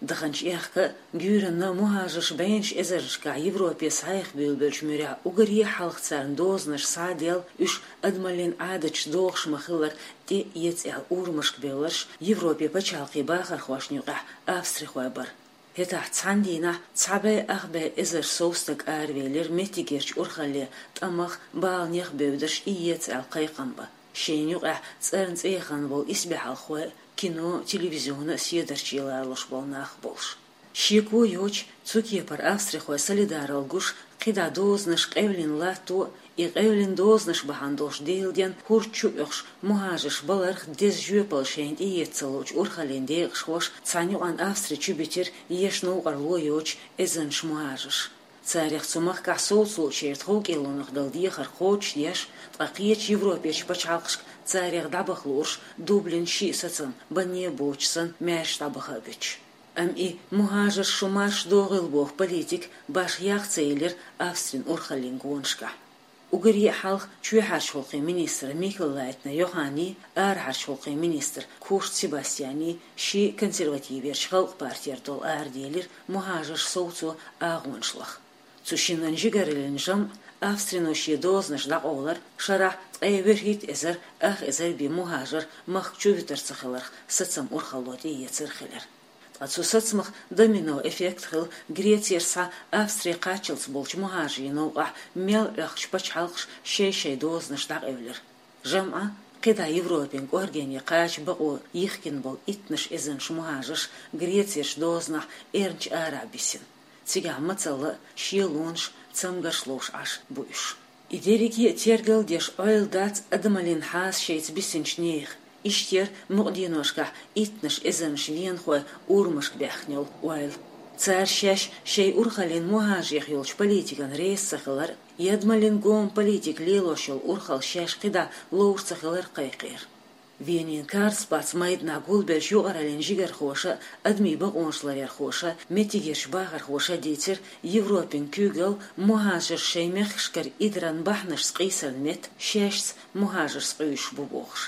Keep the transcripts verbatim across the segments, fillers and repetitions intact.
Даханчу аьхка а, гуьйранна а мухӀажарш бӀеннаш эзарнашкахь Европе схьаэха буьйлабеллачу муьрехь уггаре а хьалха царна дозанаш схьа а делла, уьш адамаллин Ӏадаташ дохуш ма-хиллара, тӀе а эца аьлла урамашка бевлларш Европе пачхьалкхийн бахархошна юкъахь австрихой бара. ХӀетахь цхьана дийнахь цхьа бӀе ах бӀе эзар сов стаг аравелира меттигерчу урхалле тӀамах, баланех а бевдаш, и эца аьлла кхайкхам бан. Шайна юкъахь цӀарна цӀе яхана болу исбаьхьалхой, кино, телевизион а седарчий лоруш болу нах болуш. Шеко йоцуш, цу кепара австрихой солидаралла гуш, кхидӀа дозанаш къевлина латто а, и къевлина дозанаш бахьана долуш Делан денна хӀорд чу а оьхуш мухӀажарш баларх деза жоьпалла шайна тӀеэца ца луучу урхаллин декъашхоша цхьана юкъана Австри чу битира еш новкъарло йоцуш эзарнаш мухӀажарш. Царах цу махкахь совцалучуьра тховкӀелонах дала дехар кхочушдеш, ткъа кхечу Европерчу пачхьалкхашка царах дӀабаха луурш Дублин шиъ сацам, банне а боцуш санна, маьрша дӀабаха а буьтуш. Амма и мухӀажарш шу марша догӀийла боху политика башха ях ца елира Австрин урхаллин гонашкахь. Уггаре а хьалха чоьхьарчу гӀуллакхийн министр Микель Лайтнер Йоханний, арахьарчу гӀуллакхийн министр Курц Себастьянний шен консервативерчу Халкъан партера долу араделира мухӀажарш совцо агӀонаш лаха. Цу шинан жигараллин жамӀ, австрино шен дозанаш дӀакъовлар, шарахь ткъе ворхӀитта эзар ах эзар бен мухӀажар махка чу вуьтур ца хиларх сацам урхалло тӀеэцар хилира. Ткъа цу сацамах домино эффект хилла, Грецера схьа Австри кхаччалц болчу мухӀажарийн новкъахь мел Ӏохкучу пачхьалкхаша шай-шай дозанаш дӀакъевлира. ЖамӀан, кхидӀа Европин кӀоргене кхача бакъо йихкина болу иттанаш эзарнаш мухӀажарш Грецерчу дозанахь эрна чу арахь бисина. Цигахь мацалла а, шелонаш а, цамгарш а ловш Ӏаш бу уьш. И дерриге а тергал а деш, Ӏойла дац адамаллин хьаса шайца бисинчу нехан. Иштта яра мукъа деношкахь иттанаш эзарнаш венахой урамашка баьхкина йолу ойла. Цара шаьш шайн урхаллин мухӀажарех йолчу политикана реза ца хилар а, адамаллин гома политика лелош йолу урхалла шаьш кхидӀа ловр ца хилар а кхайкхийра. Венин Карлсплац майданахь гулбеллачу юкъараллин жигархоша а, адамийн бакъонаш ларъярхоша а, меттигерчу бахархоша а дийцира, Европин куьйгалла мухӀажарш шайн мехкашкара идаран бахьанашца къийсаран метта шаьшца мухӀажарш къуьйсуш бу бохуш.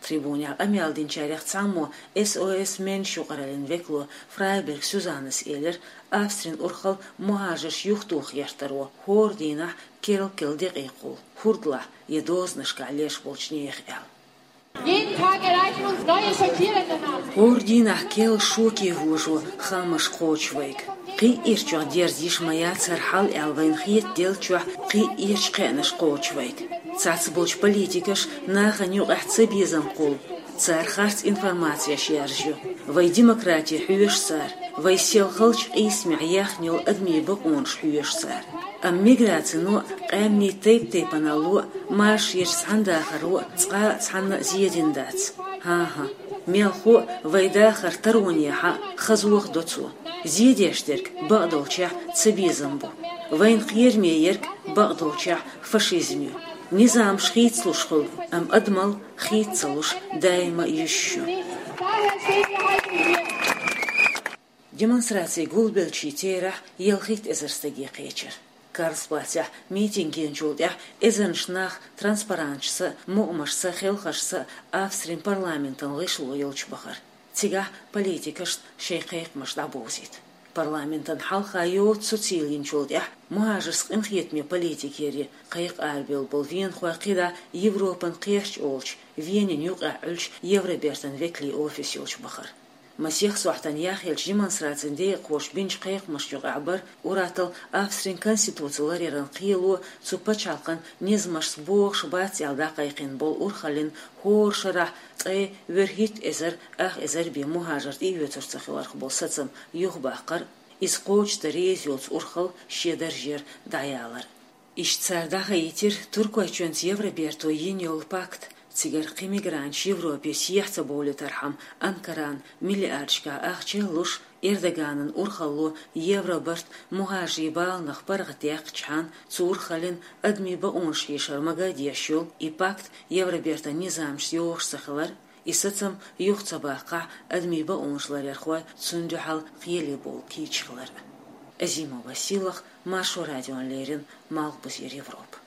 Трибунехь къамел динчарех цхьаммо, С О С Менш юкъараллин векало, Фрайберг Сюзаннас элира, Австрин урхалла мухӀажарш юхатоха гӀертаро хӀора дийнахь керла-керла декъий кхуллу, хӀордалахь я дозанашкахь леш болчу нехан аьлла. Jeden Tag erreichen uns neue schockierende Nachrichten. ХӀора дийнахь керла шоке вожо хаамаш кхочу вайга. Кхин а ирчохь дерза йиш ма яц хӀара хьал аьлла вайна хетаделла чохь кхин а ирчу кхаьънаш кхочу вайга. Цхьацца болчу политикаша нахана юкъахь цабезам кхуллу. Цара харц информацеш яржайо. Вай демократи хьоьшу цара. Вай сел халчу къийсамехь яьхна йолу адамийн бакъонаш хьоьшу цара. Амма миграцино а, къаьмнийн тайп-тайпаналло а, маршонаш цхьаьна дахаро а цкъа а цхьанна а зен дина дац. ХӀан-хӀа, мелхо а вай дахар таронехьа а, хазоха до цо. Зен деш дерг бакъдолчехь цабезам бу. Вайна кхераме ерг бакъдолчехь фашизм ю. Низамаш хийцалуш хуьлу, амма адамалла хийца ца луш даима а йиш ю. Демонстраци гулбеллачийн терахь ялхитта эзар стаге кхечира. Карлсплацехь митинг гинчул тӀаьхьа эзарнаш нах транспаранташца а, мукъамашца а, хелхашца а Австрин парламентан гӀишло йолчу бахара. Цигахь политикашна шайн кхайкхамаш дӀабовзийта. Парламентан хьалха йоцу суцил йинчул тӀаьхьа мухӀажаршца къинхетаме политика яре кхайкха арабевлла болу венахой кхидӀа Европан кхерч олучу, Венина юкъахь Ӏуьллучу Евробертан векалийн офис йолчу бахара. Масех сохьтана яхъеллачу демонстрацин декъахоша бинчу кхайкхамашна юкъахь бара ур-атталла Австрин конституци ларъяран кхело, цу пачхьалкхан низамашца богӀуш бац аьлла дӀакхайкхийна болу урхаллин хӀора шарахь ткъе ворхӀитта эзар ах эзар бен мухӀажар тӀеоьцуш ца хиларх болу сацам юхабаккхар а, иза кхочушдан реза йоцу урхалла шен даржера дӀаялар а. Иштта цара дӀахаийтира Туркойчоьнца Евроберто йина йолу пакт, цигара кхин мигранташ Европе сехьа ца бовлийтархьама, Анкарана миллиардашкахь ахча а луш, Эрдоганан урхалло Евробарт мухӀажарийн баланах паргӀатдаьккхичхьана, цу урхаллин адамийн бакъонаш хьийшар мага а деш йолу и пакт Евробертан низамашца йогӀуш ца хилар, и сацам юха ца баккхахь, адамийн бакъонаш ларъярхой цунна дуьхьал кхеле бовла кийча хилар. Азимова Сийлаха, Маршо радиона леррина, Малхбузера Европа.